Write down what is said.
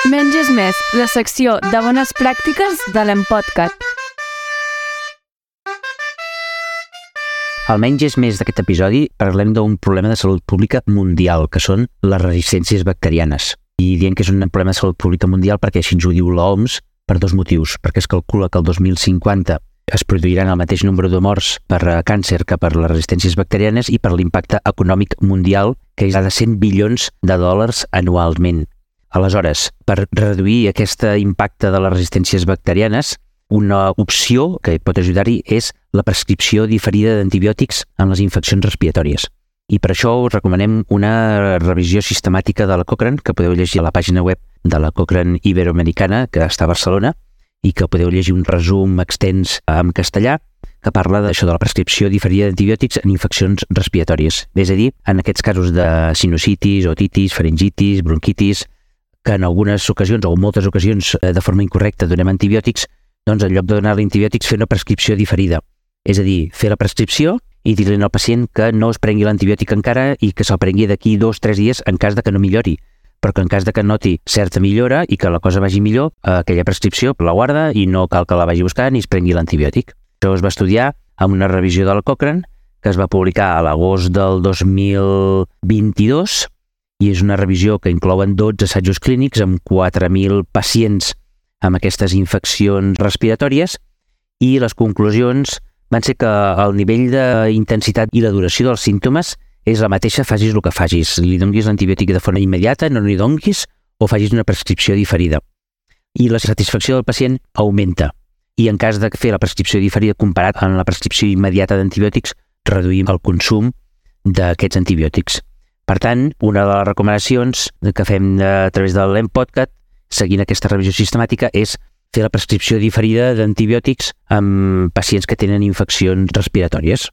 Menys és més, la secció de bones pràctiques de l'Empodcat. Al Menys és més d'aquest episodi parlem d'un problema de salut pública mundial, que són les resistències bacterianes. I diem que és un problema de salut pública mundial perquè així ens ho diu l'OMS per dos motius. Perquè es calcula que el 2050 es produiran el mateix nombre de morts per càncer que per les resistències bacterianes i per l'impacte econòmic mundial, que és de 100 bilions de dòlars anualment. Aleshores, per reduir aquest impacte de les resistències bacterianes, una opció que pot ajudar-hi és la prescripció diferida d'antibiòtics en les infeccions respiratòries. I per això us recomanem una revisió sistemàtica de la Cochrane, que podeu llegir a la pàgina web de la Cochrane Iberoamericana, que està a Barcelona, i que podeu llegir un resum extens en castellà que parla d'això de la prescripció diferida d'antibiòtics en infeccions respiratòries. És a dir, en aquests casos de sinusitis, otitis, faringitis, bronquitis, que en algunes ocasions o en moltes ocasions de forma incorrecta donem antibiòtics, doncs en lloc de donar antibiòtics fer una prescripció diferida. És a dir, fer la prescripció i dir-li al pacient que no es prengui l'antibiòtic encara i que se'l prengui d'aquí 2 o 3 dies en cas de que no millori. Però que en cas de que noti certa millora i que la cosa vagi millor, aquella prescripció la guarda i no cal que la vagi buscar ni es prengui l'antibiòtic. Això es va estudiar amb una revisió de la Cochrane que es va publicar a l'agost del 2022 i és una revisió que inclouen 12 assajos clínics amb 4.000 pacients amb aquestes infeccions respiratòries i les conclusions van ser que el nivell d'intensitat i la duració dels símptomes és la mateixa, facis el que facis. Li donguis l'antibiòtic de forma immediata, no li donguis, o facis una prescripció diferida. I la satisfacció del pacient augmenta. I en cas de fer la prescripció diferida comparat amb la prescripció immediata d'antibiòtics, reduïm el consum d'aquests antibiòtics. Per tant, una de les recomanacions que fem a través de l'Empodcat, seguint aquesta revisió sistemàtica, és fer la prescripció diferida d'antibiòtics amb pacients que tenen infeccions respiratòries.